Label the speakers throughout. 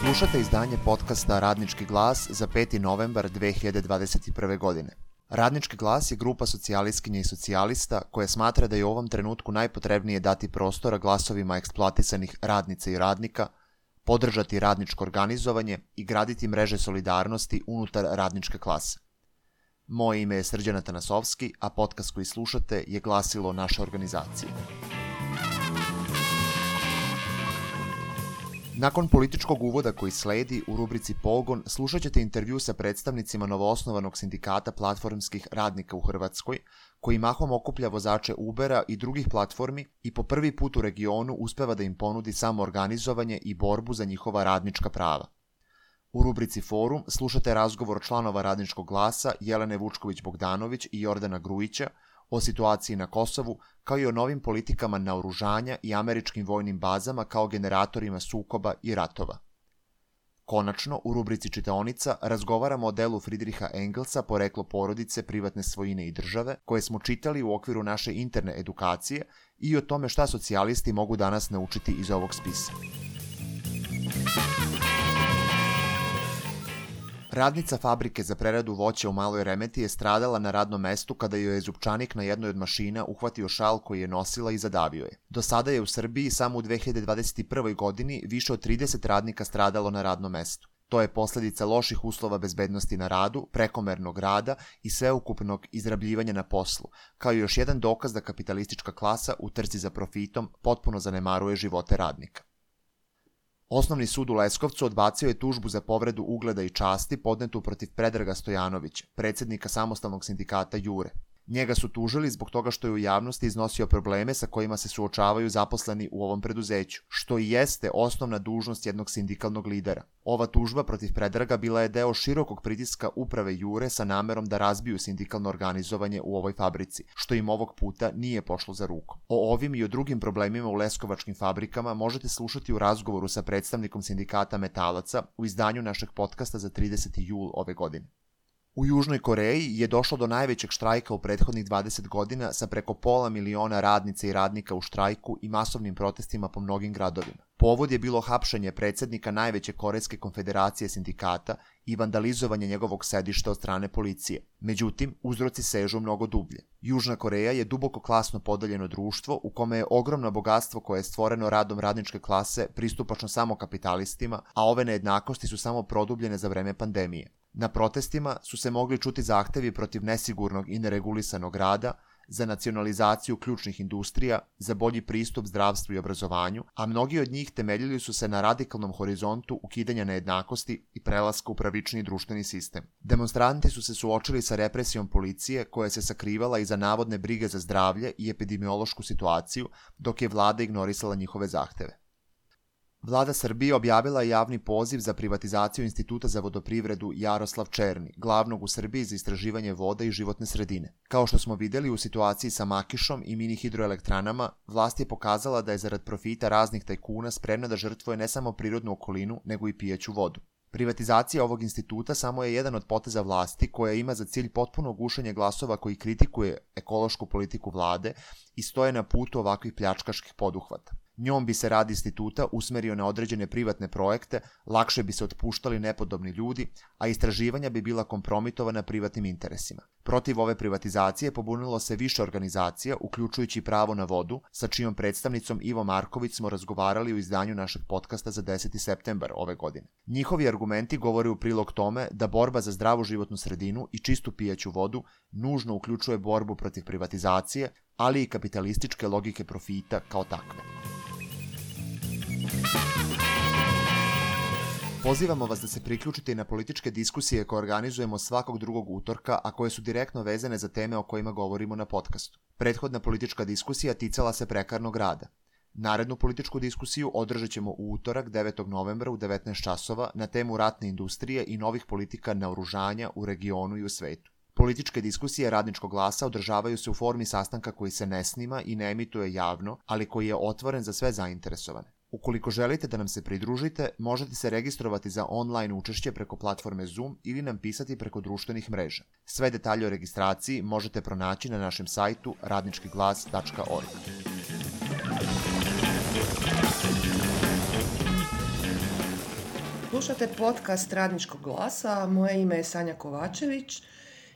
Speaker 1: Slušate izdanje podcasta Radnički glas za 5. novembar 2021. godine. Radnički glas je grupa socijalistkinja i socijalista koja smatra da je u ovom trenutku najpotrebnije dati prostora glasovima eksploatisanih radnica i radnika, podržati radničko organizovanje i graditi mreže solidarnosti unutar radničke klase. Moje ime je Srđan Atanasovski, a podcast koji slušate je glasilo naše organizacije. Nakon političkog uvoda koji sledi, u rubrici Pogon slušat ćete intervju sa predstavnicima novoosnovanog sindikata platformskih radnika u Hrvatskoj, koji mahom okuplja vozače Ubera i drugih platformi i po prvi put u regionu uspeva da im ponudi samoorganizovanje i borbu za njihova radnička prava. U rubrici Forum slušate razgovor članova Radničkog glasa Jelene Vučković-Bogdanović i Jordana Grujića o situaciji na Kosovu, kao i o novim politikama naoružanja i američkim vojnim bazama kao generatorima sukoba i ratova. Konačno, u rubrici Čitaonica razgovaramo o delu Friedricha Engelsa Poreklo porodice, privatne svojine i države, koje smo čitali u okviru naše interne edukacije i o tome šta socijalisti mogu danas naučiti iz ovog spisa. Radnica fabrike za preradu voća u Maloj Remeti je stradala na radnom mestu kada joj je zupčanik na jednoj od mašina uhvatio šal koji je nosila i zadavio je. Do sada je u Srbiji samo u 2021. godini više od 30 radnika stradalo na radnom mestu. To je posljedica loših uslova bezbednosti na radu, prekomernog rada i sveukupnog izrabljivanja na poslu, kao i još jedan dokaz da kapitalistička klasa u trci za profitom potpuno zanemaruje živote radnika. Osnovni sud u Leskovcu odbacio je tužbu za povredu ugleda i časti podnetu protiv Predraga Stojanovića, predsjednika samostalnog sindikata Jure. Njega su tužili zbog toga što je u javnosti iznosio probleme sa kojima se suočavaju zaposleni u ovom preduzeću, što i jeste osnovna dužnost jednog sindikalnog lidera. Ova tužba protiv Predraga bila je deo širokog pritiska uprave Jure sa namerom da razbiju sindikalno organizovanje u ovoj fabrici, što im ovog puta nije pošlo za rukom. O ovim i o drugim problemima u leskovačkim fabrikama možete slušati u razgovoru sa predstavnikom sindikata metalaca u izdanju našeg podcasta za 30. jul ove godine. U Južnoj Koreji je došlo do najvećeg štrajka u prethodnih 20 godina sa preko 500.000 radnica i radnika u štrajku i masovnim protestima po mnogim gradovima. Povod je bilo hapšenje predsjednika najveće Korejske konfederacije sindikata i vandalizovanje njegovog sedišta od strane policije. Međutim, uzroci sežu mnogo dublje. Južna Koreja je duboko klasno podeljeno društvo u kome je ogromno bogatstvo koje je stvoreno radom radničke klase pristupačno samo kapitalistima, a ove nejednakosti su samo produbljene za vreme pandemije. Na protestima su se mogli čuti zahtevi protiv nesigurnog i neregulisanog rada, za nacionalizaciju ključnih industrija, za bolji pristup zdravstvu i obrazovanju, a mnogi od njih temeljili su se na radikalnom horizontu ukidanja nejednakosti i prelaska u pravični društveni sistem. Demonstranti su se suočili sa represijom policije koja se sakrivala iza navodne brige za zdravlje i epidemiološku situaciju, dok je vlada ignorisala njihove zahteve. Vlada Srbije objavila je javni poziv za privatizaciju Instituta za vodoprivredu Jaroslav Černi, glavnog u Srbiji za istraživanje voda i životne sredine. Kao što smo vidjeli u situaciji sa Makišom i mini hidroelektranama, vlast je pokazala da je zarad profita raznih tajkuna spremna da žrtvuje ne samo prirodnu okolinu, nego i pijaću vodu. Privatizacija ovog instituta samo je jedan od poteza vlasti koja ima za cilj potpuno gušenje glasova koji kritikuje ekološku politiku vlade i stoje na putu ovakvih pljačkaških poduhvata. Njom bi se rad instituta usmerio na određene privatne projekte, lakše bi se otpuštali nepodobni ljudi, a istraživanja bi bila kompromitovana privatnim interesima. Protiv ove privatizacije pobunilo se više organizacija, uključujući Pravo na vodu, sa čijom predstavnicom Ivo Marković smo razgovarali u izdanju našeg podcasta za 10. septembar ove godine. Njihovi argumenti govore u prilog tome da borba za zdravu životnu sredinu i čistu pijaću vodu nužno uključuje borbu protiv privatizacije, ali i kapitalističke logike profita kao takve. Pozivamo vas da se priključite i na političke diskusije koje organizujemo svakog drugog utorka, a koje su direktno vezane za teme o kojima govorimo na podcastu. Prethodna politička diskusija ticala se prekarnog rada. Narednu političku diskusiju održat ćemo u utorak 9. novembra u 19 časova na temu ratne industrije i novih politika naoružanja u regionu i u svetu. Političke diskusije Radničkog glasa održavaju se u formi sastanka koji se ne snima i ne emituje javno, ali koji je otvoren za sve zainteresovane. Ukoliko želite da nam se pridružite, možete se registrovati za online učešće preko platforme Zoom ili nam pisati preko društvenih mreža. Sve detalje o registraciji možete pronaći na našem sajtu radničkiglas.org.
Speaker 2: Slušate podcast Radničkog glasa, moje ime je Sanja Kovačević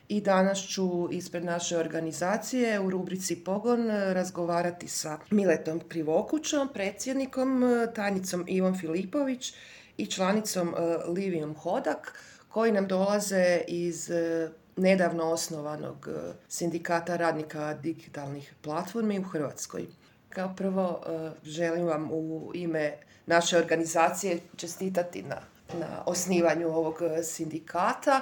Speaker 2: i danas ću ispred naše organizacije u rubrici Pogon razgovarati sa Miletom Krivokućom, predsjednikom, tajnicom Ivom Filipović i članicom Livijom Hodak, koji nam dolaze iz nedavno osnovanog sindikata radnika digitalnih platformi u Hrvatskoj. Kao prvo želim vam u ime naše organizacije čestitati na osnivanju ovog sindikata,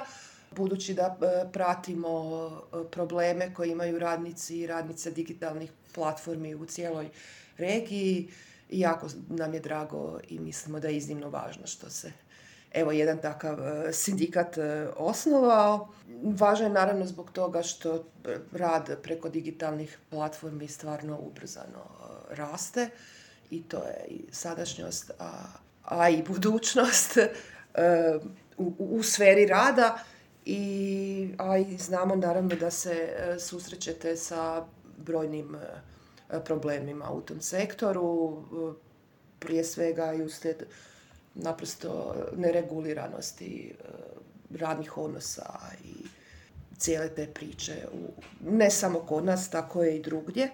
Speaker 2: budući da pratimo probleme koje imaju radnici i radnice digitalnih platformi u cijeloj regiji. I jako nam je drago i mislimo da je iznimno važno što se jedan takav sindikat osnovao. Važno je naravno zbog toga što rad preko digitalnih platformi stvarno ubrzano raste i to je i sadašnjost, a i budućnost u sferi rada. I znamo naravno da se susrećete sa brojnim problemima u tom sektoru, prije svega i uslijed naprosto nereguliranosti radnih odnosa i cijele te priče, ne samo kod nas, tako je i drugdje.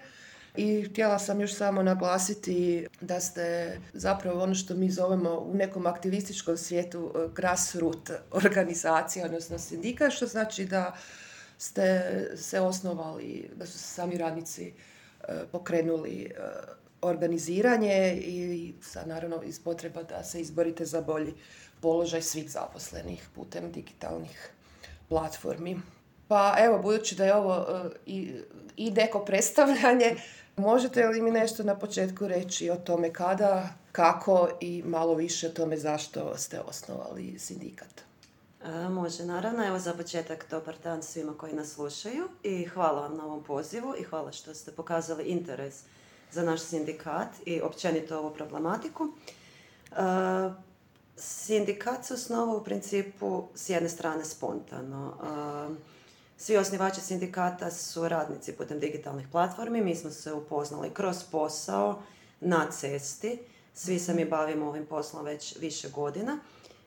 Speaker 2: I htjela sam još samo naglasiti da ste zapravo ono što mi zovemo u nekom aktivističkom svijetu grassroot organizacija, odnosno sindikat, što znači da ste se osnovali, da su se sami radnici pokrenuli organiziranje i sad naravno iz potreba da se izborite za bolji položaj svih zaposlenih putem digitalnih platformi. Pa evo, budući da je ovo i neko predstavljanje, možete li mi nešto na početku reći o tome kada, kako i malo više o tome zašto ste osnovali sindikat?
Speaker 3: Može, naravno. Evo za početak dobar dan svima koji nas slušaju i hvala vam na ovom pozivu i hvala što ste pokazali interes za naš sindikat i općenito ovu problematiku. Sindikat se osnovao u principu s jedne strane spontano. Svi osnivači sindikata su radnici putem digitalnih platformi. Mi smo se upoznali kroz posao na cesti. Svi se mi bavimo ovim poslom već više godina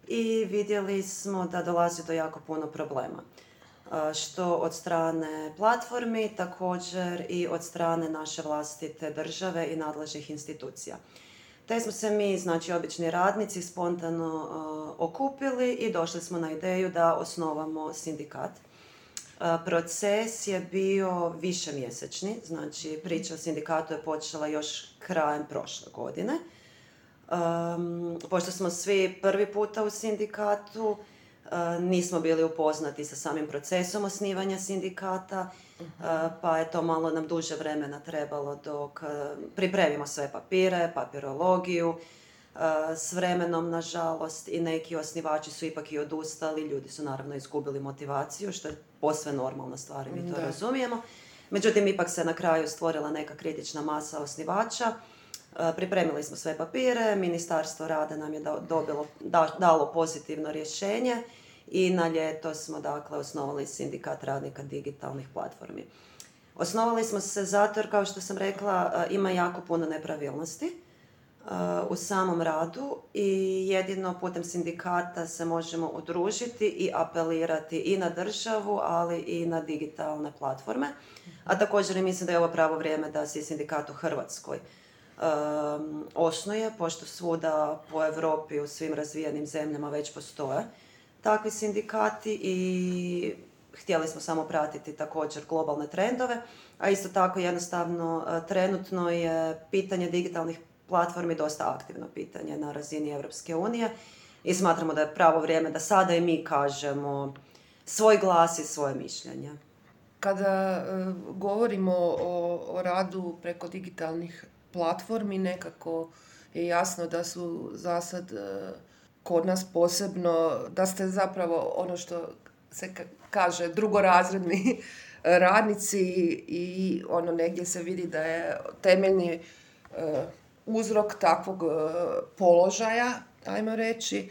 Speaker 3: i vidjeli smo da dolazi do jako puno problema. Što od strane platformi, također i od strane naše vlastite države i nadležnih institucija. Te smo se mi, znači obični radnici, spontano okupili i došli smo na ideju da osnovamo sindikat. Proces je bio višemjesečni, znači priča o sindikatu je počela još krajem prošle godine. Pošto smo svi prvi puta u sindikatu, nismo bili upoznati sa samim procesom osnivanja sindikata, pa je to malo nam duže vremena trebalo dok pripremimo sve papire, papirologiju. S vremenom, nažalost, i neki osnivači su ipak i odustali, ljudi su naravno izgubili motivaciju, što je posve normalna stvar i mi to razumijemo. Međutim, ipak se na kraju stvorila neka kritična masa osnivača. Pripremili smo sve papire, Ministarstvo rada nam je dalo pozitivno rješenje i na ljeto smo dakle osnovali sindikat radnika digitalnih platformi. Osnovali smo se zato jer, kao što sam rekla, ima jako puno nepravilnosti u samom radu i jedino putem sindikata se možemo udružiti i apelirati i na državu, ali i na digitalne platforme. A također i mislim da je ovo pravo vrijeme da se sindikat u Hrvatskoj osnuje, pošto svuda po Europi u svim razvijenim zemljama već postoje takvi sindikati i htjeli smo samo pratiti također globalne trendove, a isto tako jednostavno trenutno je pitanje digitalnih platformi dosta aktivno pitanje na razini Europske unije i smatramo da je pravo vrijeme da sada i mi kažemo svoj glas i svoje mišljenje.
Speaker 2: Kada govorimo o radu preko digitalnih platformi, nekako je jasno da su zasad kod nas posebno, da ste zapravo ono što se kaže drugorazredni radnici i ono negdje se vidi da je temeljni uzrok takvog položaja, ajmo reći,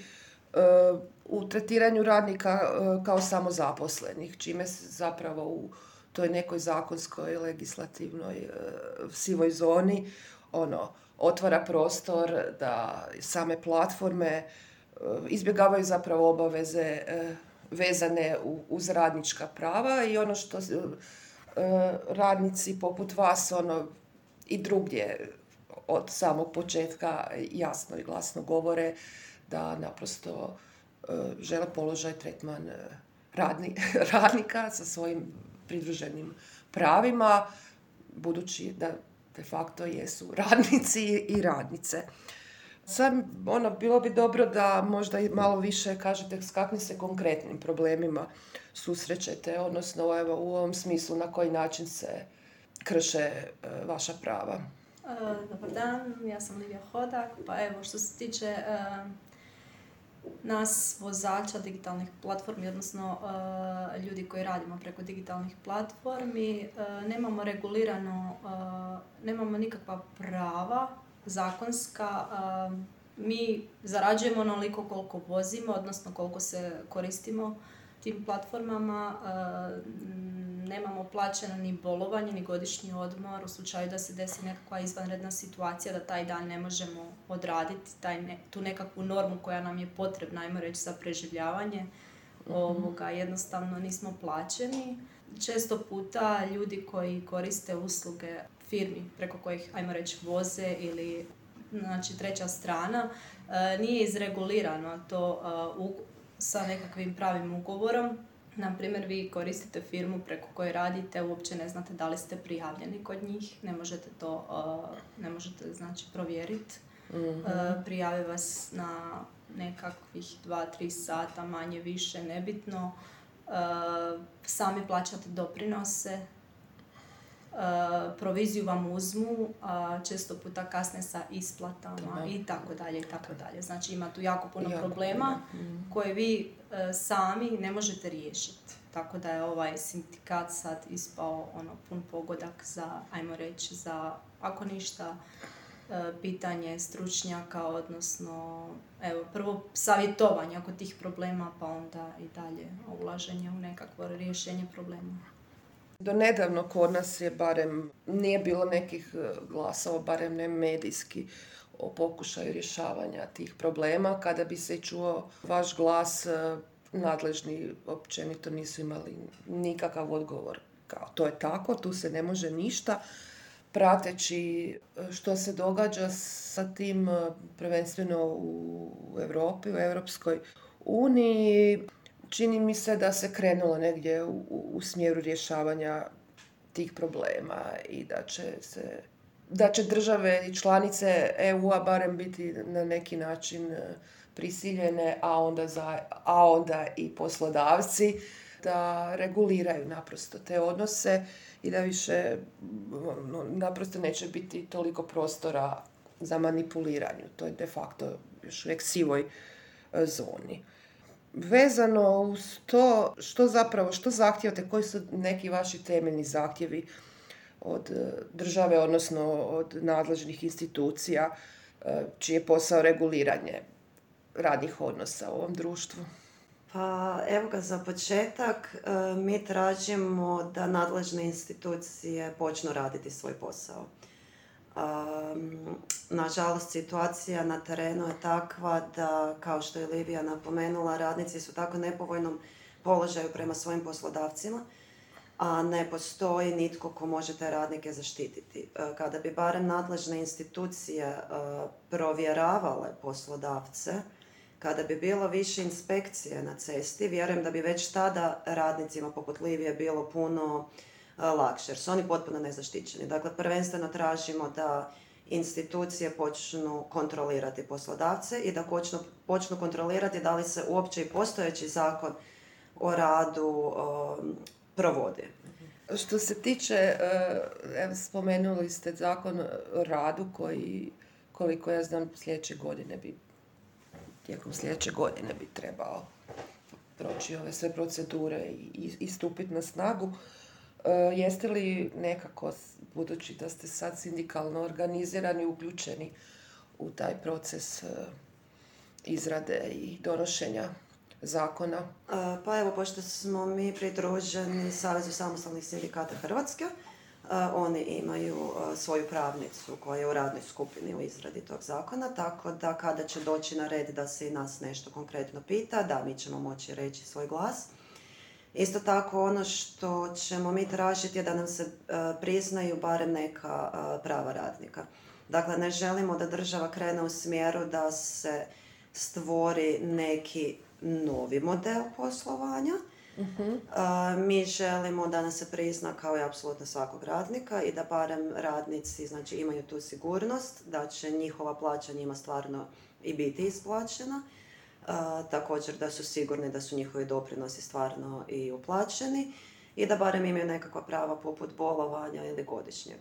Speaker 2: u tretiranju radnika kao samozaposlenih, čime se zapravo u toj nekoj zakonskoj, legislativnoj sivoj zoni otvara prostor da same platforme izbjegavaju zapravo obaveze vezane uz radnička prava i ono što radnici poput vas i drugdje od samog početka jasno i glasno govore da naprosto žele položaj tretman radnika sa svojim pridruženim pravima, budući da de facto jesu radnici i radnice. Sad, bilo bi dobro da možda i malo više kažete s kakvim se konkretnim problemima susrećete, odnosno u ovom smislu na koji način se krše vaša prava.
Speaker 4: Dobar dan, ja sam Livija Hodak. Pa evo, što se tiče nas vozača digitalnih platformi, odnosno ljudi koji radimo preko digitalnih platformi, nemamo regulirano, nemamo nikakva prava zakonska. Mi zarađujemo onoliko koliko vozimo, odnosno koliko se koristimo tim platformama. Nemamo plaćeno ni bolovanje, ni godišnji odmor u slučaju da se desi nekakva izvanredna situacija, da taj dan ne možemo odraditi tu nekakvu normu koja nam je potrebna, ajmo reći, za preživljavanje. Jednostavno nismo plaćeni. Često puta ljudi koji koriste usluge firmi preko kojih, ajmo reći, voze ili znači treća strana, nije izregulirano to sa nekakvim pravim ugovorom. Naprimjer, vi koristite firmu preko koje radite, uopće ne znate da li ste prijavljeni kod njih, ne možete znači provjeriti. Prijave vas na nekakvih 2-3 sata, manje više, nebitno. Sami plaćate doprinose, proviziju vam uzmu, često puta kasne sa isplatama i tako dalje, i tako dalje. Znači ima tu jako puno problema koje vi sami ne možete riješiti. Tako da je ovaj sindikat sad ispao pun pogodak za, ajmo reći, za, ako ništa, pitanje stručnjaka, odnosno prvo savjetovanje oko tih problema, pa onda i dalje ulaženje u nekakvo rješenje problema.
Speaker 2: Do nedavno kod nas je barem, nije bilo nekih glasova, barem ne medijski, o pokušaju rješavanja tih problema. Kada bi se čuo vaš glas, nadležni općenito nisu imali nikakav odgovor. Kao, to je tako, tu se ne može ništa. Prateći što se događa sa tim, prvenstveno u Europi, u Europskoj uniji, čini mi se da se krenulo negdje u smjeru rješavanja tih problema i da će države i članice EU-a barem biti na neki način prisiljene, a onda i poslodavci da reguliraju naprosto te odnose i da više naprosto neće biti toliko prostora za manipuliranje. To je de facto još uvijek sivoj zoni. Vezano uz to, što zahtijevate, koji su neki vaši temeljni zahtjevi od države, odnosno od nadležnih institucija, čiji je posao reguliranje radnih odnosa u ovom društvu?
Speaker 3: Pa evo ga, za početak mi tražimo da nadležne institucije počnu raditi svoj posao. Nažalost, situacija na terenu je takva da, kao što je Livija napomenula, radnici su tako nepovoljnom položaju prema svojim poslodavcima, a ne postoji nitko ko može te radnike zaštititi. Kada bi barem nadležne institucije provjeravale poslodavce, kada bi bilo više inspekcije na cesti, vjerujem da bi već tada radnicima poput Livije bilo puno lakše, jer su oni potpuno nezaštićeni. Dakle, prvenstveno tražimo da institucije počnu kontrolirati poslodavce i da počnu kontrolirati da li se uopće i postojeći zakon o radu provodi.
Speaker 2: Što se tiče, spomenuli ste zakon o radu koji, koliko ja znam, tijekom sljedeće godine bi trebao proći ove sve procedure i stupiti na snagu. Jeste li nekako, budući da ste sad sindikalno organizirani, uključeni u taj proces izrade i donošenja zakona?
Speaker 3: Pa evo, pošto smo mi pridruženi Savezu samostalnih sindikata Hrvatske, Oni imaju svoju pravnicu koja je u radnoj skupini u izradi tog zakona, tako da kada će doći na red da se i nas nešto konkretno pita, da, mi ćemo moći reći svoj glas. Isto tako ono što ćemo mi tražiti je da nam se priznaju barem neka prava radnika. Dakle, ne želimo da država krene u smjeru da se stvori neki novi model poslovanja. Mi želimo da nas se prizna kao i apsolutno svakog radnika i da barem radnici znači, imaju tu sigurnost da će njihova plaća njima stvarno i biti isplaćena. Također da su sigurni da su njihovi doprinosi stvarno i uplaćeni i da barem imaju nekakva prava poput bolovanja ili godišnjeg.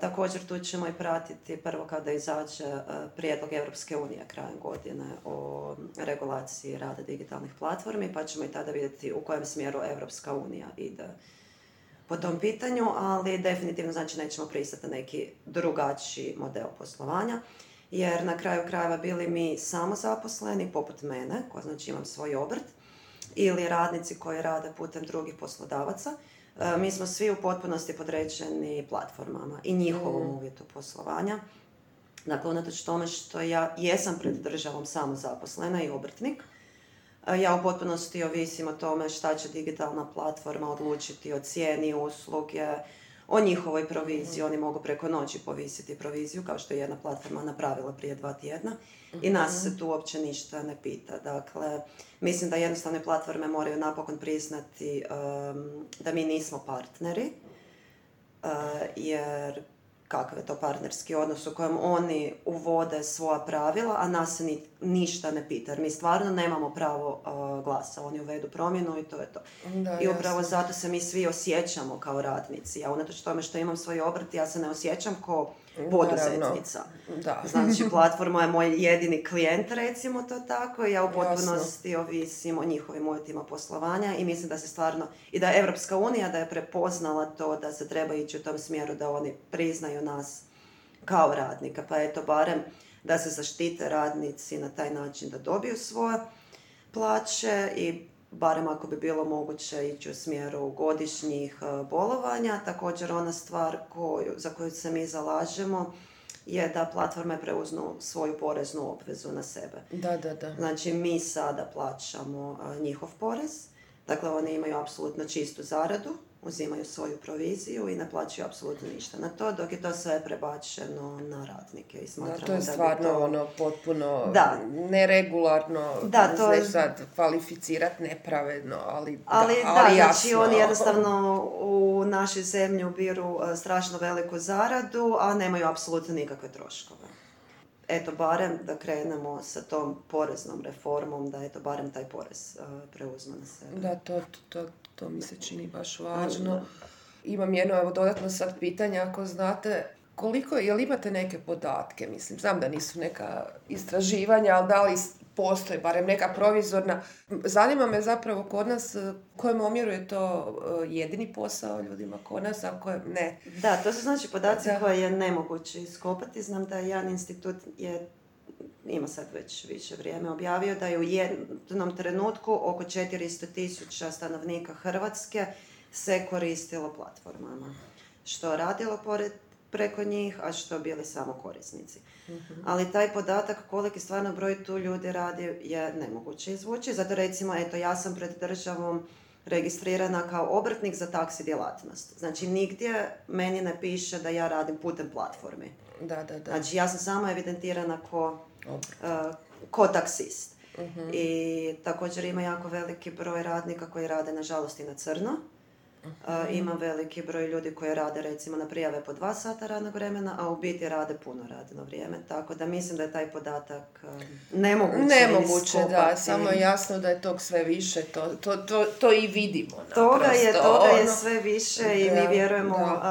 Speaker 3: Također tu ćemo i pratiti prvo kada izađe prijedlog Europske unije krajem godine o regulaciji rada digitalnih platformi, pa ćemo i tada vidjeti u kojem smjeru Europska unija ide po tom pitanju, ali definitivno znači nećemo pristati na neki drugačiji model poslovanja, jer na kraju krajeva bili mi samozaposleni, poput mene, koja znači imam svoj obrt, ili radnici koji rade putem drugih poslodavaca, mi smo svi u potpunosti podređeni platformama i njihovom uvjetu poslovanja. Dakle, unatoč tome što ja jesam pred državom samozaposlena i obrtnik, ja u potpunosti ovisim o tome šta će digitalna platforma odlučiti o cijeni usluge, o njihovoj proviziji. Oni mogu preko noći povisiti proviziju, kao što je jedna platforma napravila prije 2 tjedna. I nas se tu uopće ništa ne pita. Dakle, mislim da jednostavne platforme moraju napokon priznati da mi nismo partneri, jer kakav je to partnerski odnos u kojem oni uvode svoja pravila, a nas se ništa ne pita. Jer mi stvarno nemamo pravo glasa. Oni uvedu promjenu i to je to.
Speaker 2: Da,
Speaker 3: I upravo zato se mi svi osjećamo kao radnici. Ja unatoč tome što imam svoj obrt, ja se ne osjećam kao poduzetnica.
Speaker 2: Da.
Speaker 3: Znači, platforma je moj jedini klijent, recimo to tako, i ja u potpunosti ovisim o njihovim uvjetima poslovanja i mislim da se stvarno, i da je Europska unija da je prepoznala to da se treba ići u tom smjeru da oni priznaju nas kao radnika. Pa eto, barem da se zaštite radnici na taj način da dobiju svoje plaće i barem ako bi bilo moguće ići u smjeru godišnjih bolovanja. Također ona stvar za koju se mi zalažemo je da platforme preuznu svoju poreznu obvezu na sebe.
Speaker 2: Da.
Speaker 3: Znači mi sada plaćamo njihov porez, dakle oni imaju apsolutno čistu zaradu, uzimaju svoju proviziju i ne plaćaju apsolutno ništa na to, dok je to sve prebačeno na radnike. I smatramo
Speaker 2: to je stvarno potpuno neregularno,
Speaker 3: to je
Speaker 2: sad kvalificirati nepravedno, ali
Speaker 3: jasno.
Speaker 2: Znači
Speaker 3: oni jednostavno u našoj zemlji ubiru strašno veliku zaradu, a nemaju apsolutno nikakve troškove. Eto, barem da krenemo sa tom poreznom reformom, da eto, barem taj porez preuzme na sebe.
Speaker 2: Da, to mi se čini baš važno. Imam jedno dodatno sad pitanje, ako znate, jel imate neke podatke, mislim, znam da nisu neka istraživanja, ali da li postoji barem neka provizorna. Zanima me zapravo kod nas kojem omjeru je to jedini posao ljudima kod nas, a kojem ne.
Speaker 3: Da, to su znači podaci koje je nemoguće iskopati. Znam da jedan institut ima sad već više vrijeme objavio da je u jednom trenutku oko 400,000 stanovnika Hrvatske se koristilo platformama. Što radilo preko njih, a što bili samo korisnici. Ali taj podatak koliki stvarno broj tu ljudi radi je nemoguće izvući. Zato recimo, eto, ja sam pred državom registrirana kao obrtnik za taksi djelatnost. Znači, nigdje meni ne piše da ja radim putem platformi.
Speaker 2: Da.
Speaker 3: Znači, ja sam samo evidentirana ko taksist. I također ima jako veliki broj radnika koji rade, nažalost, i na crno. Ima veliki broj ljudi koji rade recimo na prijave po 2 sata radnog vremena, a u biti rade puno radno vrijeme. Tako da mislim da je taj podatak nemoguće
Speaker 2: da, samo je jasno da je tog sve više, to i vidimo.
Speaker 3: Toga je sve više i mi vjerujemo,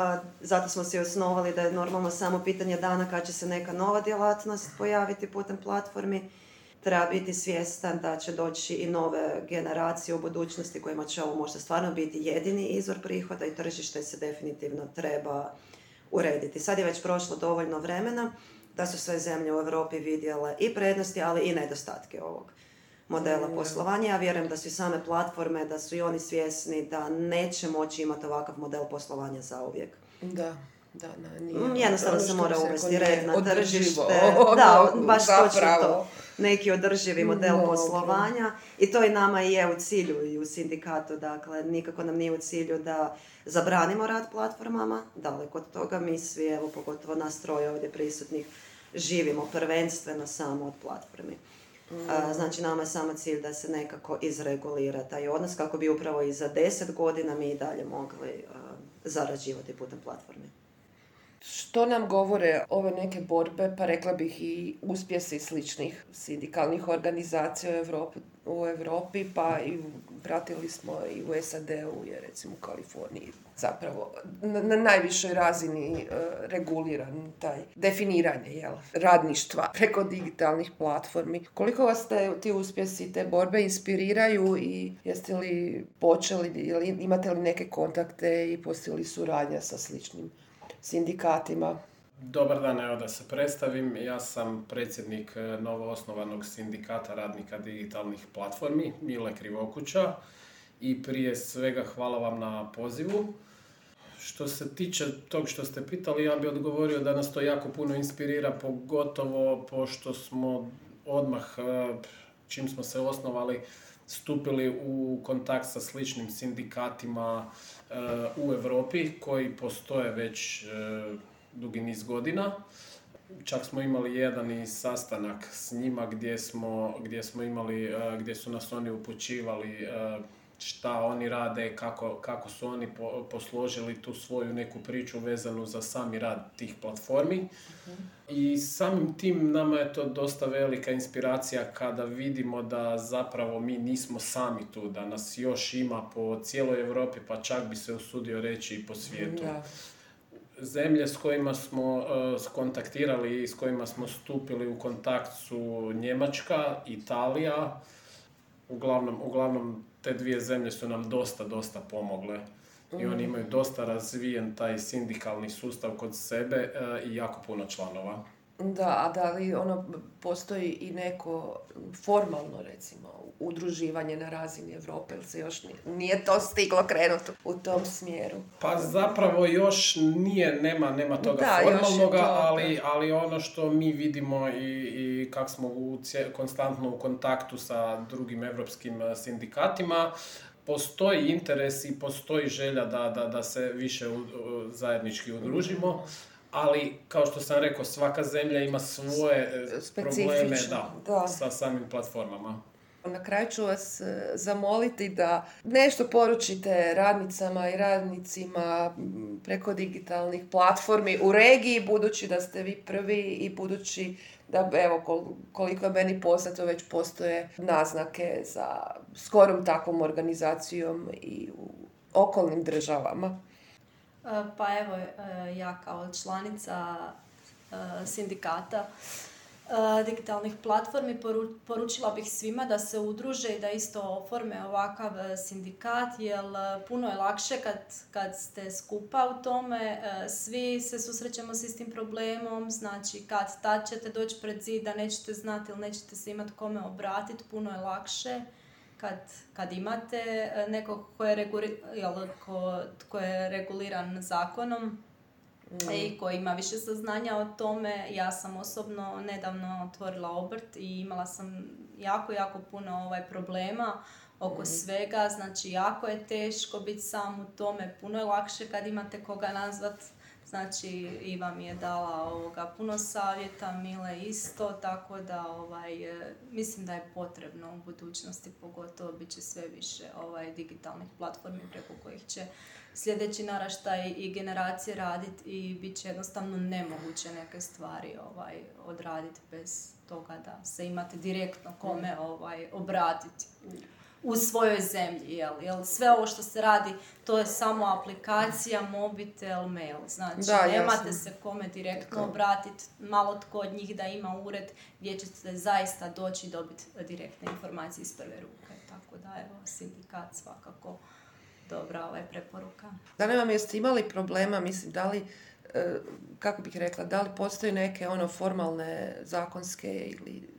Speaker 3: zato smo si osnovali da je normalno samo pitanje dana kad će se neka nova djelatnost pojaviti putem platformi. Treba biti svjestan da će doći i nove generacije u budućnosti kojima će ovo možda stvarno biti jedini izvor prihoda i tržište se definitivno treba urediti. Sad je već prošlo dovoljno vremena da su sve zemlje u Europi vidjele i prednosti, ali i nedostatke ovog modela poslovanja. Ja vjerujem da su i same platforme, da su i oni svjesni da neće moći imati ovakav model poslovanja zauvijek.
Speaker 2: Da. Nije
Speaker 3: jednostavno se mora uvesti red na tržište. Baš
Speaker 2: zapravo.
Speaker 3: točno to. Neki održivi model poslovanja i to i nama je u cilju i u sindikatu. Dakle, nikako nam nije u cilju da zabranimo rad platformama. Daleko od toga, mi svi, evo pogotovo nas troje ovdje prisutnih, živimo prvenstveno samo od platformi. Znači, nama je samo cilj da se nekako izregulira taj odnos kako bi upravo i za 10 godina mi i dalje mogli zarađivati putem platformi.
Speaker 2: Što nam govore ove neke borbe, pa rekla bih i uspjesi sličnih sindikalnih organizacija u Europi, pa i pratili smo i u SAD-u, je recimo u Kaliforniji zapravo na najvišoj razini reguliran taj definiranje radništva preko digitalnih platformi. Koliko vas ti uspjesi, te borbe inspiriraju i jeste li počeli, imate li neke kontakte i postoji suradnja sa sličnim sindikatima?
Speaker 5: Dobar dan, evo da se predstavim. Ja sam predsjednik novoosnovanog sindikata radnika digitalnih platformi, Mile Krivokuća, i prije svega hvala vam na pozivu. Što se tiče tog što ste pitali, ja bih odgovorio da nas to jako puno inspirira, pogotovo pošto smo odmah, čim smo se osnovali, stupili u kontakt sa sličnim sindikatima u Europi koji postoje već dugi niz godina. Čak smo imali jedan i sastanak s njima gdje su nas oni upućivali šta oni rade, kako su oni posložili tu svoju neku priču vezanu za sami rad tih platformi. I samim tim nama je to dosta velika inspiracija kada vidimo da zapravo mi nismo sami tu, da nas još ima po cijeloj Europi, pa čak bi se usudio reći i po svijetu. Da. Zemlje s kojima smo kontaktirali i s kojima smo stupili u kontakt su Njemačka, Italija. Uglavnom te dvije zemlje su nam dosta pomogle i oni imaju dosta razvijen taj sindikalni sustav kod sebe i jako puno članova.
Speaker 2: Da, a da li postoji i neko formalno, recimo, udruživanje na razini Europe, ili se još nije to stiglo krenuti u tom smjeru?
Speaker 5: Pa zapravo još nema toga formalnoga, ali ono što mi vidimo i kako smo konstantno u kontaktu sa drugim evropskim sindikatima, postoji interes i postoji želja da se više zajednički udružimo. Ali, kao što sam rekao, svaka zemlja ima svoje probleme sa samim platformama.
Speaker 2: Na kraju ću vas zamoliti da nešto poručite radnicama i radnicima preko digitalnih platformi u regiji, budući da ste vi prvi i budući da, evo, koliko je meni poznato, već postoje naznake za skorom takvom organizacijom i u okolnim državama.
Speaker 4: Pa evo, ja kao članica sindikata digitalnih platformi poručila bih svima da se udruže i da isto oforme ovakav sindikat, jer puno je lakše kad ste skupa u tome, svi se susrećemo s istim problemom, znači tad ćete doći pred zid da nećete znati ili nećete se imati kome obratiti, puno je lakše kad imate nekog ko je reguliran zakonom i koji ima više saznanja o tome. Ja sam osobno nedavno otvorila obrt i imala sam jako puno problema oko svega. Znači, jako je teško biti sam u tome, puno je lakše kad imate koga nazvat. Znači, Iva mi je dala puno savjeta, Mile isto, tako da mislim da je potrebno u budućnosti, pogotovo bit će sve više digitalnih platformi preko kojih će sljedeći naraštaj i generacije raditi i bit će jednostavno nemoguće neke stvari odraditi bez toga da se imate direktno kome obratiti u svojoj zemlji, jel? Sve ovo što se radi, to je samo aplikacija, mobitel, mail. Znači, nemate se kome direktno obratiti, malo tko od njih da ima ured gdje ćete zaista doći i dobiti direktne informacije iz prve ruke. Tako da, evo, sindikat svakako dobra preporuka.
Speaker 2: Da li vam jeste imali problema, mislim, da li, kako bih rekla, da li postoji neke formalne zakonske ili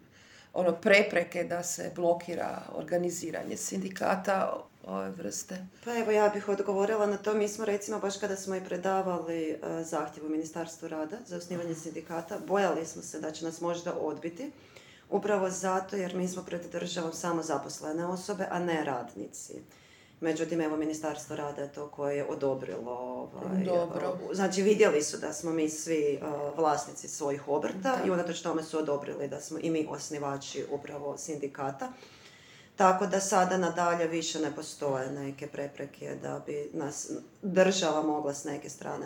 Speaker 2: prepreke da se blokira organiziranje sindikata ove vrste?
Speaker 3: Pa evo, ja bih odgovorila na to. Mi smo recimo baš kada smo i predavali zahtjev u Ministarstvu rada za osnivanje sindikata, bojali smo se da će nas možda odbiti, upravo zato jer mi smo pred državom samo zaposlene osobe, a ne radnici. Međutim, evo, Ministarstvo rada je to koje je odobrilo.
Speaker 2: Dobro.
Speaker 3: Znači, vidjeli su da smo mi svi vlasnici svojih obrta i unatoč tome su odobrili da smo i mi osnivači upravo sindikata. Tako da sada nadalje više ne postoje neke prepreke da bi nas država mogla s neke strane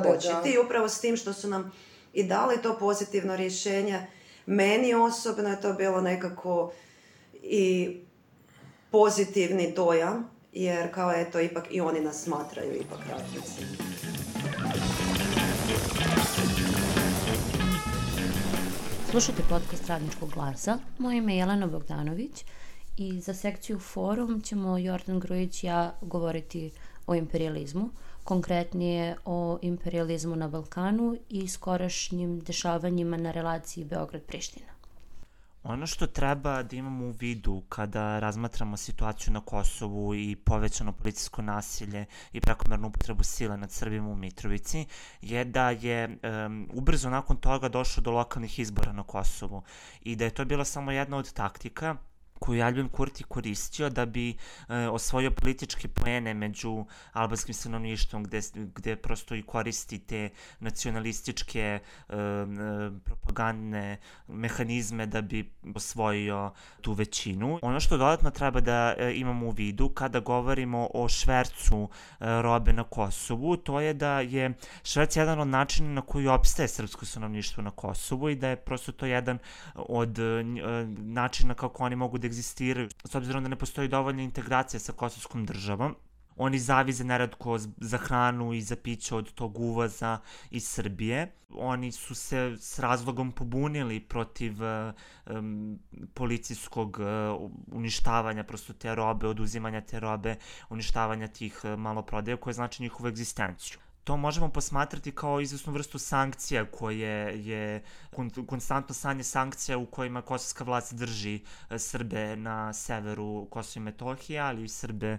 Speaker 3: početi. I upravo s tim što su nam i dali to pozitivno rješenje, meni osobno je to bilo nekako i pozitivni dojam, jer kao eto, ipak i oni nas smatraju ipak radnici.
Speaker 6: Slušajte podcast Radničkog glasa. Moje ime je Jelena Bogdanović i za sekciju Forum ćemo Jordan Grujić i ja govoriti o imperijalizmu, konkretnije o imperijalizmu na Balkanu i skorašnjim dešavanjima na relaciji Beograd-Priština.
Speaker 7: Ono što treba da imamo u vidu kada razmatramo situaciju na Kosovu i povećano policijsko nasilje i prekomernu upotrebu sile nad Srbima u Mitrovici je da je ubrzo nakon toga došlo do lokalnih izbora na Kosovu i da je to bila samo jedna od taktika koju je Aljbin Kurti koristio da bi osvojio političke poene među albanskim stanovništvom gde prosto i koristi te nacionalističke propagandne mehanizme da bi osvojio tu većinu. Ono što dodatno treba da imamo u vidu kada govorimo o švercu robe na Kosovu, to je da je šverc jedan od načina na koji opstaje srpsko stanovništvo na Kosovu i da je prosto to jedan od načina kako oni mogu da egzistiraju. S obzirom da ne postoji dovoljna integracija sa kosovskom državom, oni zavize neretko za hranu i za piće od tog uvoza iz Srbije. Oni su se s razlogom pobunili protiv policijskog uništavanja prosto te robe, oduzimanja te robe, uništavanja tih maloprodaja koje znači njihovu egzistenciju. To možemo posmatrati kao izvesnu vrstu sankcija koje je konstantno stanje sankcija u kojima kosovska vlast drži Srbe na severu Kosova i Metohije, ali i Srbe,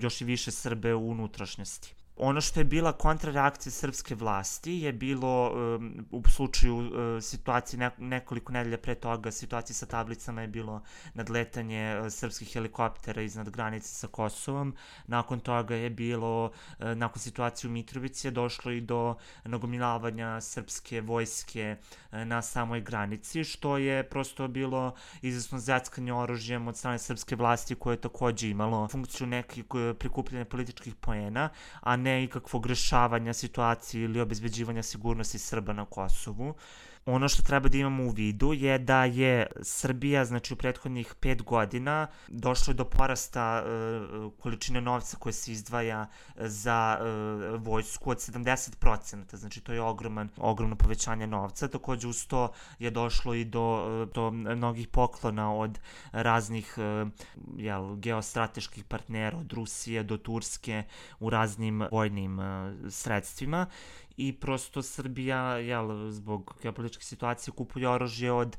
Speaker 7: još i više Srbe u unutrašnjosti. Ono što je bila kontrareakcija srpske vlasti je bilo u slučaju situacije nekoliko nedelja pre toga, situacije sa tablicama je bilo nadletanje srpskih helikoptera iznad granice sa Kosovom. Nakon toga je bilo, nakon situacije u Mitrovici je došlo i do nagomilavanja srpske vojske na samoj granici, što je prosto bilo izvesno zjackanje oružjem od strane srpske vlasti koje je takođe imalo funkciju nekih prikupljanja političkih poena, a ne ikakvog rešavanja situacije ili obezbeđivanja sigurnosti Srba na Kosovu. Ono što treba da imamo u vidu je da je Srbija, znači u prethodnih 5 godina, došlo do porasta količine novca koje se izdvaja za vojsku od 70%, znači to je ogromno povećanje novca. Takođe uz to je došlo i do mnogih poklona od raznih geostrateških partnera, od Rusije do Turske u raznim vojnim sredstvima. I prosto Srbija, zbog geopolitičke situacije, kupuje oružje od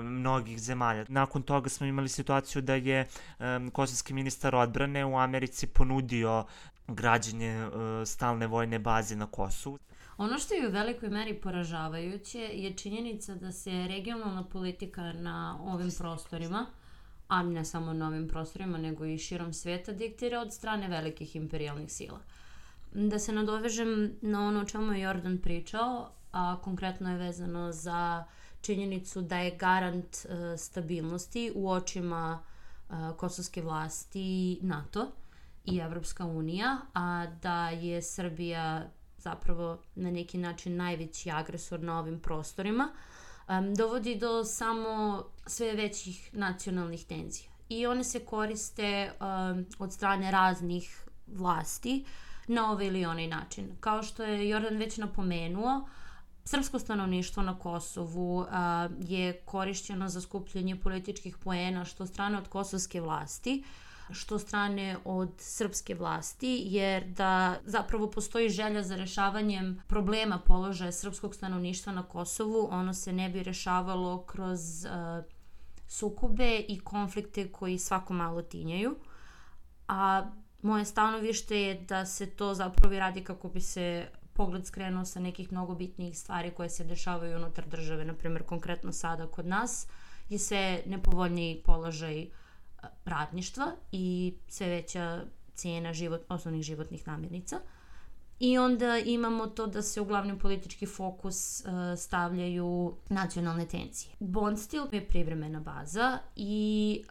Speaker 7: mnogih zemalja. Nakon toga smo imali situaciju da je kosovski ministar odbrane u Americi ponudio građenje stalne vojne baze na Kosovu.
Speaker 6: Ono što je u velikoj meri poražavajuće je činjenica da se regionalna politika na ovim prostorima, a ne samo na ovim prostorima, nego i širom sveta, diktira od strane velikih imperijalnih sila. Da se nadovežem na ono o čemu je Jordan pričao, a konkretno je vezano za činjenicu da je garant stabilnosti u očima kosovske vlasti NATO i Evropska unija, a da je Srbija zapravo na neki način najveći agresor na ovim prostorima, dovodi do samo sve većih nacionalnih tenzija. I one se koriste od strane raznih vlasti na ovaj ili onaj način. Kao što je Jordan već napomenuo, srpsko stanovništvo na Kosovu je korišćeno za skupljanje političkih poena što strane od kosovske vlasti, što strane od srpske vlasti, jer da zapravo postoji želja za rešavanjem problema položaja srpskog stanovništva na Kosovu, ono se ne bi rešavalo kroz sukobe i konflikte koji svako malo tinjaju. A moje stanovište je da se to zapravo radi kako bi se pogled skrenuo sa nekih mnogo bitnijih stvari koje se dešavaju unutar države. Naprimjer, konkretno sada kod nas je sve nepovoljniji položaj radništva i sve veća cijena osnovnih životnih namirnica. I onda imamo to da se u glavni politički fokus stavljaju nacionalne tenzije. Bondstil je privremena baza i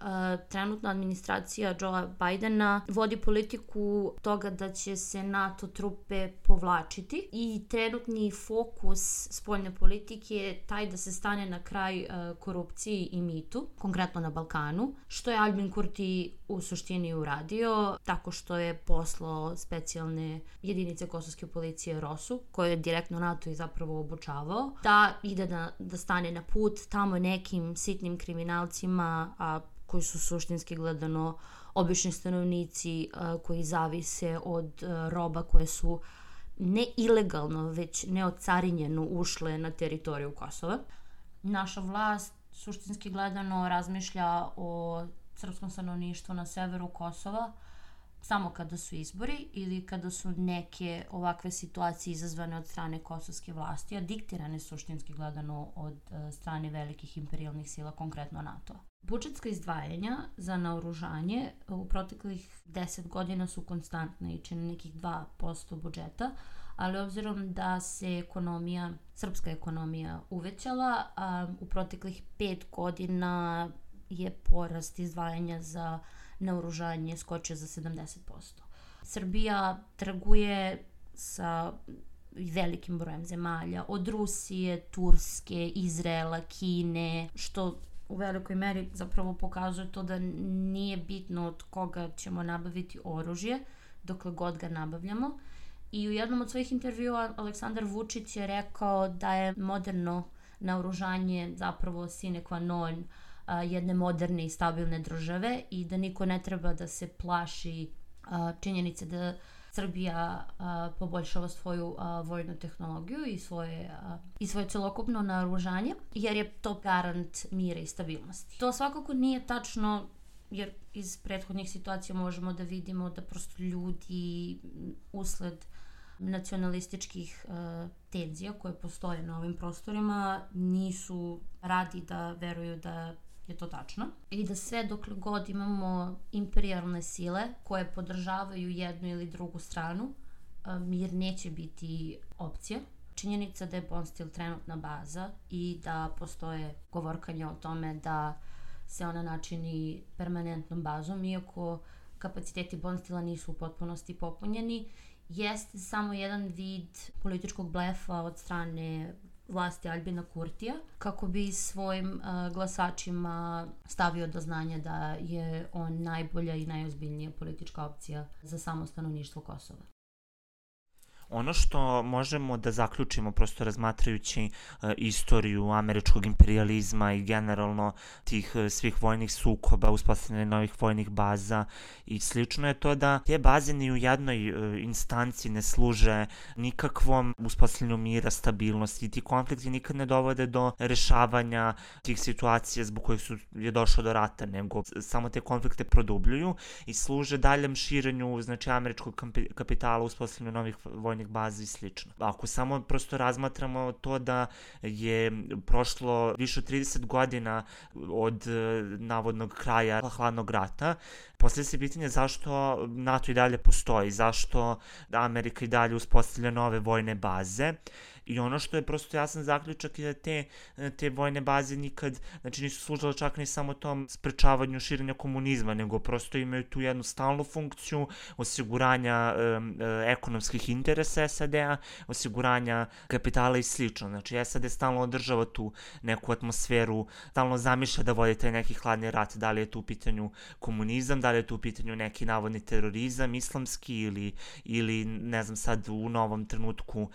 Speaker 6: trenutna administracija Joea Bidena vodi politiku toga da će se NATO trupe povlačiti i trenutni fokus spoljne politike je taj da se stane na kraj korupciji i mitu, konkretno na Balkanu, što je Albin Kurti u suštini uradio tako što je poslao specijalne jedinice kosovske policije ROSU, koje je direktno NATO i zapravo obučavao, da ide da stane na put tamo nekim sitnim kriminalcima, a koji su suštinski gledano obični stanovnici koji zavise od roba koje su ne ilegalno, već neocarinjeno ušle na teritoriju Kosova. Naša vlast suštinski gledano razmišlja o srpskom stanovništvu na severu Kosova samo kada su izbori ili kada su neke ovakve situacije izazvane od strane kosovske vlasti, a diktirane suštinski gledano od strane velikih imperijalnih sila, konkretno NATO. Budžetska izdvajanja za naoružanje u proteklih 10 godina su konstantne i čine nekih 2% budžeta, ali obzirom da se srpska ekonomija uvećala, u proteklih 5 godina je porast izdvajanja za naoružanje skočio za 70%. Srbija trguje sa velikim brojem zemalja, od Rusije, Turske, Izraela, Kine, što u velikoj meri zapravo pokazuje to da nije bitno od koga ćemo nabaviti oružje, dokle god ga nabavljamo. I u jednom od svojih intervjua Aleksandar Vučić je rekao da je moderno naoružanje zapravo sine qua non jedne moderne i stabilne države i da niko ne treba da se plaši činjenice da Srbija poboljšava svoju vojnu tehnologiju i svoje celokupno naoružanje, jer je to garant mira i stabilnosti. To svakako nije tačno, jer iz prethodnih situacija možemo da vidimo da prosto ljudi usled nacionalističkih tenzija koje postoje na ovim prostorima nisu radi da veruju da je to tačno i da sve dokle god imamo imperijalne sile koje podržavaju jednu ili drugu stranu, mir neće biti opcija. Činjenica da je Bondstil trenutna baza i da postoje govorkanja o tome da se ona načini permanentnom bazom, iako kapaciteti Bondstila nisu u potpunosti popunjeni, jeste samo jedan vid političkog blefa od strane vlasti Albina Kurtija, kako bi svojim glasačima stavio do znanja da je on najbolja i najozbiljnija politička opcija za samo stanovništvo Kosova.
Speaker 7: Ono što možemo da zaključimo prosto razmatrajući istoriju američkog imperijalizma i generalno tih svih vojnih sukoba, uspostavljanja novih vojnih baza i slično je to da te baze ni u jednoj instanci ne služe nikakvom uspostavljanju mira, stabilnosti i ti konflikti nikad ne dovode do rešavanja tih situacija zbog kojih je došlo do rata, nego samo te konflikte produbljuju i služe daljem širenju američkog kapitala, uspostavljanju novih vojnih bazi i slično. Ako samo prosto razmatramo to da je prošlo više od 30 godina od navodnog kraja hladnog rata, poslije se pitanje zašto NATO i dalje postoji, zašto Amerika i dalje uspostavlja nove vojne baze. I ono što je prosto jasan zaključak je da te vojne baze nikad, nisu služile čak ni samo tom sprečavanju širenja komunizma, nego prosto imaju tu jednu stalnu funkciju osiguranja ekonomskih interesa SAD-a, osiguranja kapitala i slično. Znači, SAD stalno održava tu neku atmosferu, stalno zamišlja da vodi taj neki hladni rat, da li je tu u pitanju komunizam, da li je tu u pitanju neki navodni terorizam, islamski ili ne znam sad u novom trenutku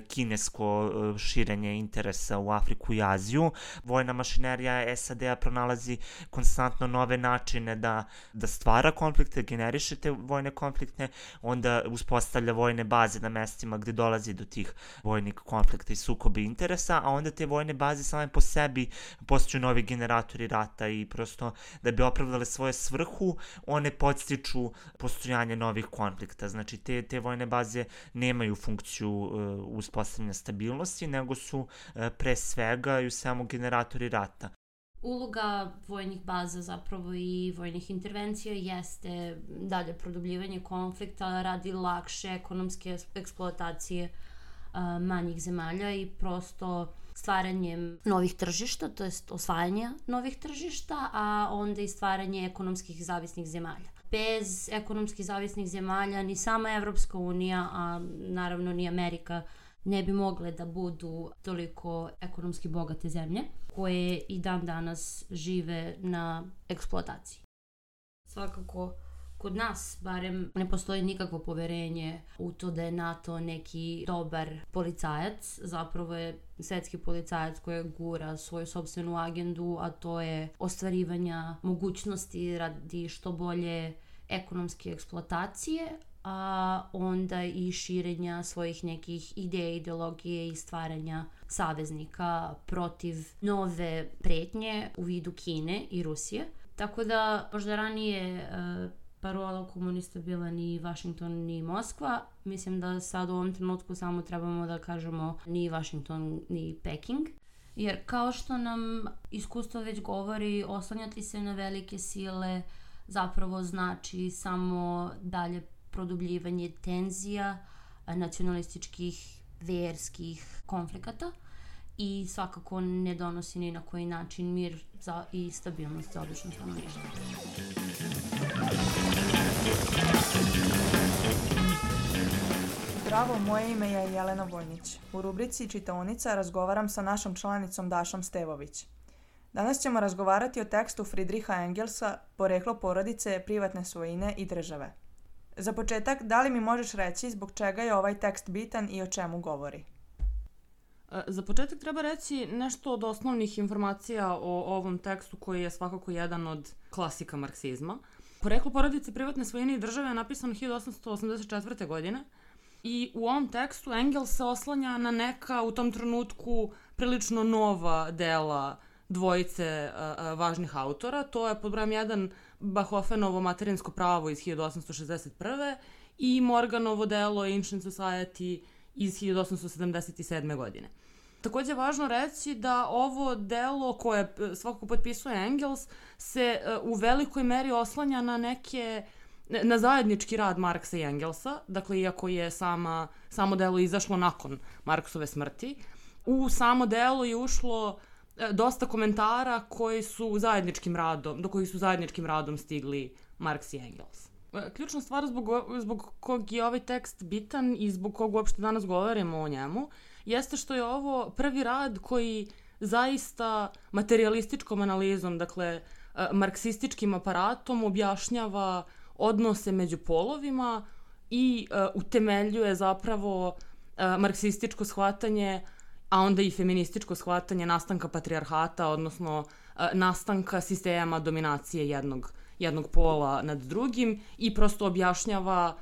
Speaker 7: kinesku ekonomsko širenje interesa u Afriku i Aziju. Vojna mašinerija SAD-a pronalazi konstantno nove načine da stvara konflikte, generiše te vojne konflikte, onda uspostavlja vojne baze na mestima gde dolazi do tih vojnih konflikta i sukoba interesa, a onda te vojne baze same po sebi postaju novi generatori rata i prosto da bi opravdale svoju svrhu, one podstiču postojanje novih konflikta. Znači, te vojne baze nemaju funkciju uspostavljanja stabilnosti, nego su pre svega i samo generatori rata.
Speaker 6: Uloga vojnih baza zapravo i vojnih intervencija jeste dalje produbljivanje konflikta radi lakše ekonomske eksploatacije manjih zemalja i prosto stvaranjem novih tržišta, to jest osvajanja novih tržišta, a onda i stvaranje ekonomskih zavisnih zemalja. Bez ekonomski zavisnih zemalja ni sama Evropska unija, a naravno ni Amerika, ne bi mogle da budu toliko ekonomski bogate zemlje koje i dan danas žive na eksploataciji. Svakako, kod nas barem ne postoji nikakvo poverenje u to da je NATO neki dobar policajac, zapravo je svetski policajac koji gura svoju sopstvenu agendu, a to je ostvarivanja mogućnosti radi što bolje ekonomske eksploatacije, a onda i širenja svojih nekih ideja, ideologije i stvaranja saveznika protiv nove pretnje u vidu Kine i Rusije. Tako da možda ranije parola komunista bila ni Washington ni Moskva. Mislim da sad u ovom trenutku samo trebamo da kažemo ni Washington ni Peking. Jer kao što nam iskustvo već govori, oslanjati se na velike sile zapravo znači samo dalje produbljivanje tenzija, nacionalističkih, verskih konflikata i svakako ne donosi ni na koji način mir i stabilnost za obično stanovništvo.
Speaker 8: Zdravo, moje ime je Jelena Vojnić. U rubrici Čitaonica razgovaram sa našom članicom Dašom Stevović. Danas ćemo razgovarati o tekstu Friedricha Engelsa Poreklo porodice, privatne svojine i države. Za početak, da li mi možeš reći zbog čega je ovaj tekst bitan i o čemu govori?
Speaker 9: Za početak treba reći nešto od osnovnih informacija o ovom tekstu koji je svakako jedan od klasika marksizma. Poreklo porodice, privatne svojine i države je napisano 1884. godine i u ovom tekstu Engels se oslanja na neka u tom trenutku prilično nova dela dvojice važnih autora. To je pod brojem 1 Bachofenovo materinsko pravo iz 1861. i Morganovo delo Ancient Society iz 1877. godine. Takođe je važno reći da ovo delo koje svakako potpisuje Engels se u velikoj meri oslanja na zajednički rad Marksa i Engelsa, dakle iako je samo delo izašlo nakon Marksove smrti, u samo delo je ušlo dosta komentara do kojih su zajedničkim radom stigli Marks i Engels. Ključna stvar zbog kog je ovaj tekst bitan i zbog kog uopšte danas govorimo o njemu jeste što je ovo prvi rad koji zaista materijalističkom analizom, dakle marksističkim aparatom objašnjava odnose među polovima i utemeljuje zapravo marksističko shvatanje, a onda i feminističko shvatanje nastanka patrijarhata, odnosno nastanka sistema dominacije jednog pola nad drugim i prosto objašnjava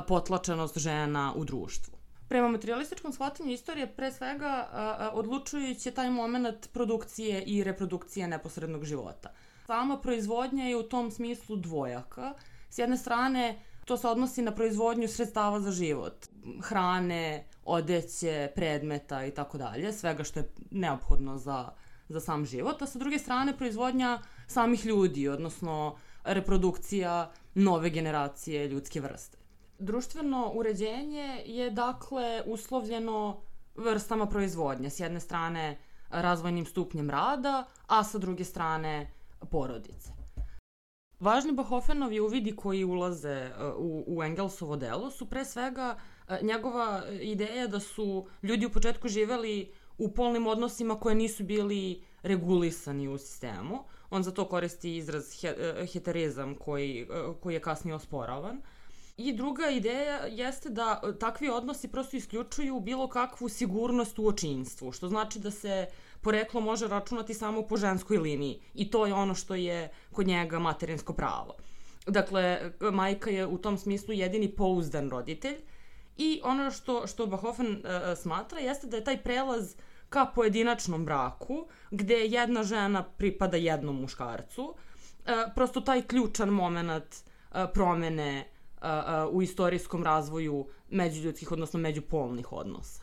Speaker 9: potlačenost žena u društvu. Prema materialističkom shvatanju istorije pre svega odlučujući je taj moment produkcije i reprodukcije neposrednog života. Sama proizvodnja je u tom smislu dvojaka. S jedne strane, to se odnosi na proizvodnju sredstava za život, hrane, odeće, predmeta i tako dalje, svega što je neophodno za sam život, a sa druge strane proizvodnja samih ljudi, odnosno reprodukcija nove generacije ljudske vrste. Društveno uređenje je dakle uslovljeno vrstama proizvodnje, s jedne strane razvojnim stupnjem rada, a sa druge strane porodice. Važni Bachofenovi uvidi koji ulaze u Engelsovo delo su pre svega njegova ideja da su ljudi u početku živeli u polnim odnosima koje nisu bili regulisani u sistemu. On za to koristi izraz heterizam koji je kasnije osporavan. I druga ideja jeste da takvi odnosi prosto isključuju bilo kakvu sigurnost u očinstvu, što znači da se poreklo može računati samo po ženskoj liniji i to je ono što je kod njega materinsko pravo. Dakle, majka je u tom smislu jedini pouzdan roditelj i ono što Bahofen smatra jeste da je taj prelaz ka pojedinačnom braku, gde jedna žena pripada jednom muškarcu, prosto taj ključan moment promene u istorijskom razvoju međuljudskih, odnosno međupolnih odnosa.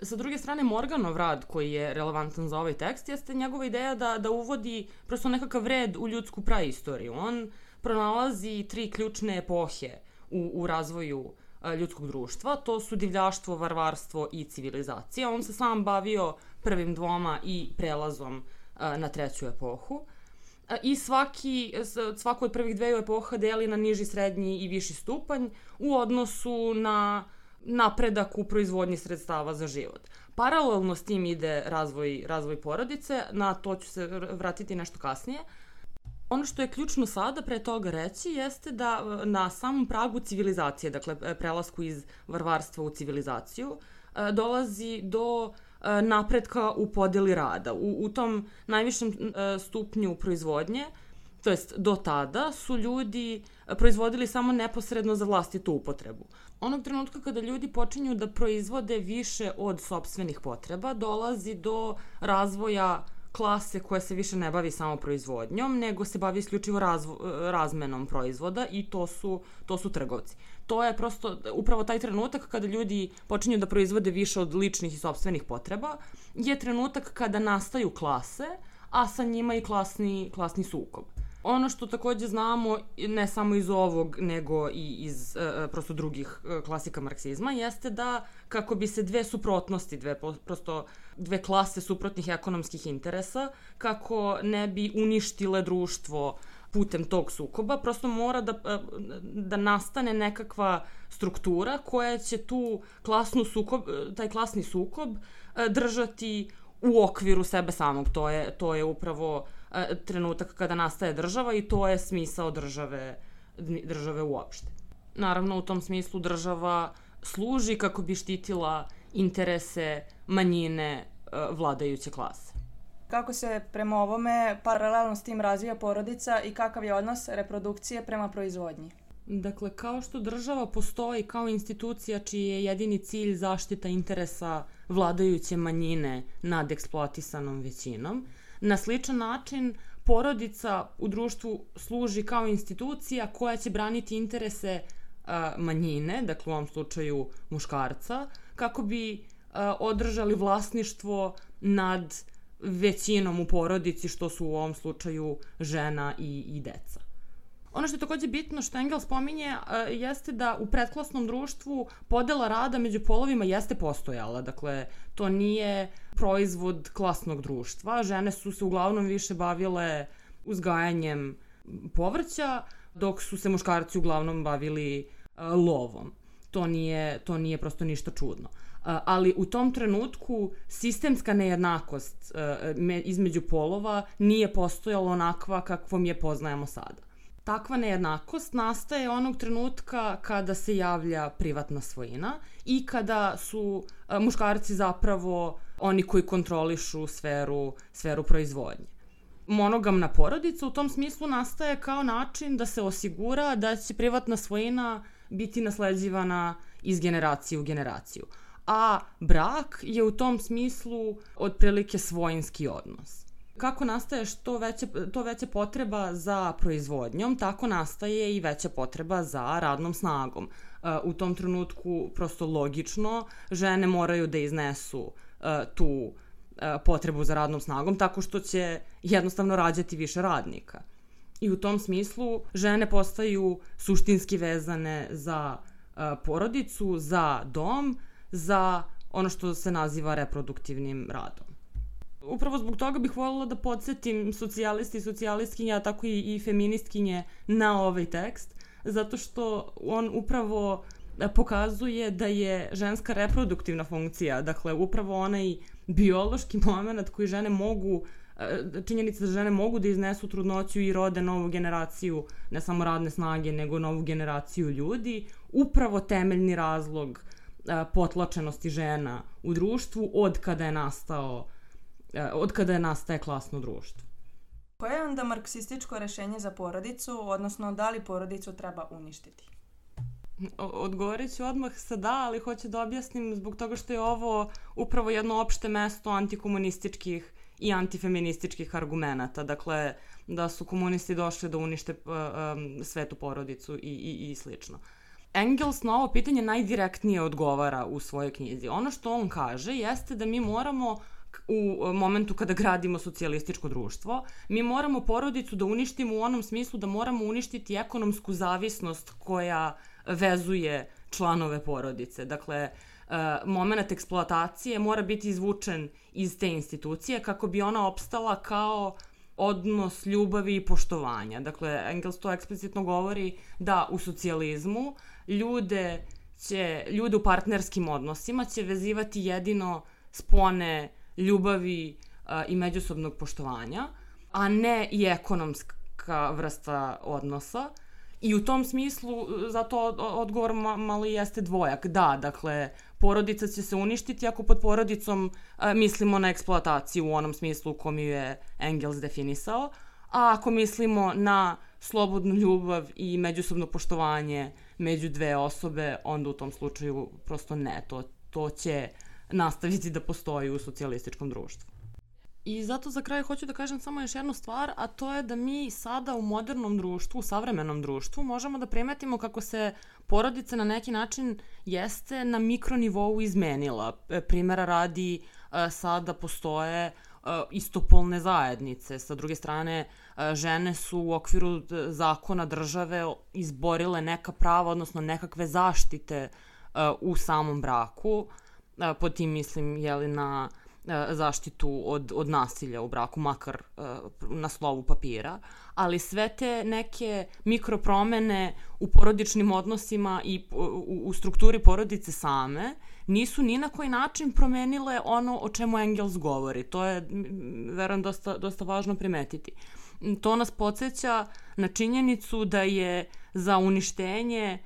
Speaker 9: Sa druge strane, Morganov rad koji je relevantan za ovaj tekst jeste njegova ideja da uvodi prosto nekakav red u ljudsku praistoriju. On pronalazi 3 ključne epohe u razvoju ljudskog društva. To su divljaštvo, varvarstvo i civilizacija. On se sam bavio prvim 2 i prelazom na 3. epohu. I svako od prvih 2 epoha deli na niži, srednji i viši stupanj u odnosu na napredak u proizvodnji sredstava za život. Paralelno s tim ide razvoj porodice, na to ću se vratiti nešto kasnije. Ono što je ključno sada pre toga reći jeste da na samom pragu civilizacije, dakle prelasku iz varvarstva u civilizaciju, dolazi do napretka u podeli rada. U tom najvišem stupnju proizvodnje, to jest do tada, su ljudi proizvodili samo neposredno za vlastitu upotrebu. Onog trenutka kada ljudi počinju da proizvode više od sopstvenih potreba, dolazi do razvoja klase koja se više ne bavi samo proizvodnjom, nego se bavi isključivo razmenom proizvoda i to su trgovci. To je prosto upravo taj trenutak kada ljudi počinju da proizvode više od ličnih i sopstvenih potreba, je trenutak kada nastaju klase, a sa njima i klasni sukob. Ono što takođe znamo, ne samo iz ovog, nego i iz prosto drugih klasika marksizma, jeste da kako bi se 2 suprotnosti, dve klase suprotnih ekonomskih interesa, kako ne bi uništile društvo putem tog sukoba, prosto mora da nastane nekakva struktura koja će taj klasni sukob držati u okviru sebe samog. To je upravo trenutak kada nastaje država i to je smisao države uopšte. Naravno, u tom smislu država služi kako bi štitila interese manjine vladajuće klase.
Speaker 8: Kako se prema ovome paralelno s tim razvija porodica i kakav je odnos reprodukcije prema proizvodnji?
Speaker 9: Dakle, kao što država postoji kao institucija čiji je jedini cilj zaštita interesa vladajuće manjine nad eksploatisanom većinom, na sličan način porodica u društvu služi kao institucija koja će braniti interese manjine, dakle u ovom slučaju muškarca, kako bi održali vlasništvo nad većinom u porodici, što su u ovom slučaju žena i deca. Ono što je takođe bitno što Engels spominje jeste da u predklasnom društvu podela rada među polovima jeste postojala. Dakle, to nije proizvod klasnog društva. Žene su se uglavnom više bavile uzgajanjem povrća, dok su se muškarci uglavnom bavili lovom. To nije prosto ništa čudno. Ali u tom trenutku sistemska nejednakost između polova nije postojala onakva kakvom je poznajemo sada. Takva nejednakost nastaje onog trenutka kada se javlja privatna svojina i kada su muškarci zapravo oni koji kontrolišu sferu proizvodnje. Monogamna porodica u tom smislu nastaje kao način da se osigura da će privatna svojina biti nasleđivana iz generacije u generaciju. A brak je u tom smislu otprilike svojinski odnos. Kako nastaje to veća potreba za proizvodnjom, tako nastaje i veća potreba za radnom snagom. U tom trenutku, prosto logično, žene moraju da iznesu tu potrebu za radnom snagom tako što će jednostavno rađati više radnika. I u tom smislu žene postaju suštinski vezane za porodicu, za dom, za ono što se naziva reproduktivnim radom. Upravo zbog toga bih voljela da podsjetim socijalisti i socijalistkinje, a tako i feministkinje na ovaj tekst, zato što on upravo pokazuje da je ženska reproduktivna funkcija, dakle upravo onaj biološki moment koji žene mogu činjenica da žene mogu da iznesu trudnoću i rode novu generaciju, ne samo radne snage, nego novu generaciju ljudi, upravo temeljni razlog potlačenosti žena u društvu od kada nastaje klasno društvo.
Speaker 8: Koje je onda marksističko rešenje za porodicu, odnosno da li porodicu treba uništiti?
Speaker 9: Odgovorit ću odmah sa da, ali hoću da objasnim zbog toga što je ovo upravo jedno opšte mesto antikomunističkih i antifeminističkih argumenata. Dakle, da su komunisti došli da unište svetu porodicu i slično. Engels na ovo pitanje najdirektnije odgovara u svojoj knjizi. Ono što on kaže jeste da mi moramo u momentu kada gradimo socijalističko društvo, mi moramo porodicu da uništimo u onom smislu da moramo uništiti ekonomsku zavisnost koja vezuje članove porodice. Dakle, moment eksploatacije mora biti izvučen iz te institucije kako bi ona opstala kao odnos ljubavi i poštovanja. Dakle, Engels to eksplicitno govori da u socijalizmu ljude u partnerskim odnosima će vezivati jedino spone ljubavi i međusobnog poštovanja, a ne i ekonomska vrsta odnosa. I u tom smislu, zato odgovor malo jeste dvojak. Da, dakle, porodica će se uništiti ako pod porodicom mislimo na eksploataciju u onom smislu u kom ju je Engels definisao, a ako mislimo na slobodnu ljubav i međusobno poštovanje među dve osobe, onda u tom slučaju prosto ne, to će nastaviti da postoji u socijalističkom društvu. I zato za kraj hoću da kažem samo još jednu stvar, a to je da mi sada u modernom društvu, u savremenom društvu, možemo da primetimo kako se porodica na neki način jeste na mikronivou izmenila. Primera radi, sada postoje istopolne zajednice. Sa druge strane, žene su u okviru zakona države izborile neka prava, odnosno nekakve zaštite u samom braku. Pod tim mislim na zaštitu od nasilja u braku, makar na slovu papira, ali sve te neke mikropromene u porodičnim odnosima i u strukturi porodice same nisu ni na koji način promenile ono o čemu Engels govori. To je, verujem, dosta važno primetiti. To nas podsjeća na činjenicu da je za uništenje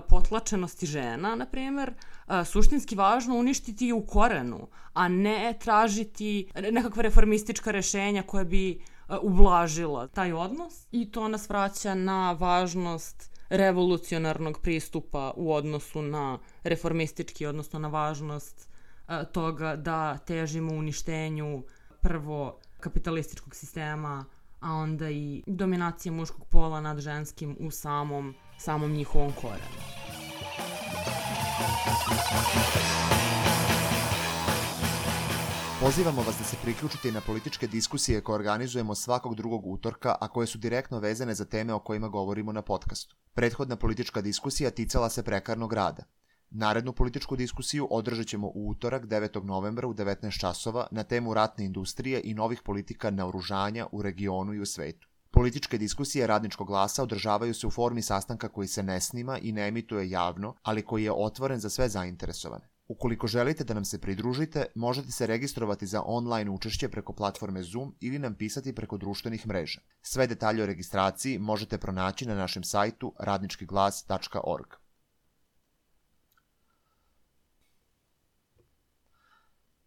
Speaker 9: potlačenosti žena, na primjer, suštinski važno uništiti je u korenu, a ne tražiti nekakva reformistička rešenja koja bi ublažila taj odnos. I to nas vraća na važnost revolucionarnog pristupa u odnosu na reformistički, odnosno na važnost toga da težimo uništenju prvo kapitalističkog sistema, a onda i dominacije muškog pola nad ženskim u samom njihovom korenu.
Speaker 1: Pozivamo vas da se priključite i na političke diskusije koje organizujemo svakog drugog utorka, a koje su direktno vezane za teme o kojima govorimo na podcastu. Prethodna politička diskusija ticala se prekarnog rada. Narednu političku diskusiju održat ćemo u utorak 9. novembra u 19 časova na temu ratne industrije i novih politika naoružanja u regionu i u svetu. Političke diskusije Radničkog glasa održavaju se u formi sastanka koji se ne snima i ne emituje javno, ali koji je otvoren za sve zainteresovane. Ukoliko želite da nam se pridružite, možete se registrovati za online učešće preko platforme Zoom ili nam pisati preko društvenih mreža. Sve detalje o registraciji možete pronaći na našem sajtu radničkiglas.org.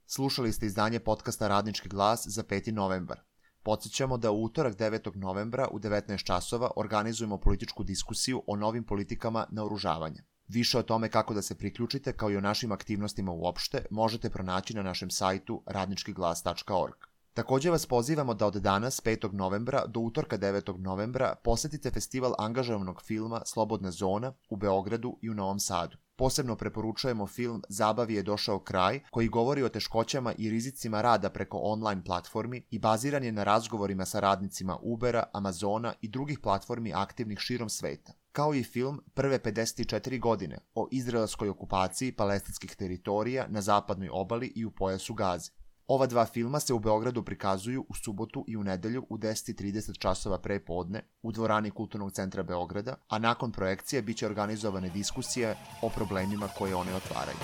Speaker 1: Slušali ste izdanje podcasta Radnički glas za 5. novembar. Podsjećamo da u utorak 9. novembra u 19 časova organizujemo političku diskusiju o novim politikama naoružavanja. Više o tome kako da se priključite, kao i o našim aktivnostima uopšte, možete pronaći na našem sajtu radničkiglas.org. Također vas pozivamo da od danas, 5. novembra, do utorka 9. novembra posetite festival angažovanog filma Slobodna zona u Beogradu i u Novom Sadu. Posebno preporučujemo film Zabavi je došao kraj, koji govori o teškoćama i rizicima rada preko online platformi i baziran je na razgovorima sa radnicima Ubera, Amazona i drugih platformi aktivnih širom sveta. Kao i film Prve 54 godine o izraelskoj okupaciji palestinskih teritorija na zapadnoj obali i u pojasu Gaze. Ova dva filma se u Beogradu prikazuju u subotu i u nedelju u 10:30 časova pre podne u dvorani Kulturnog centra Beograda, a nakon projekcije biće organizovane diskusije o problemima koje one otvaraju.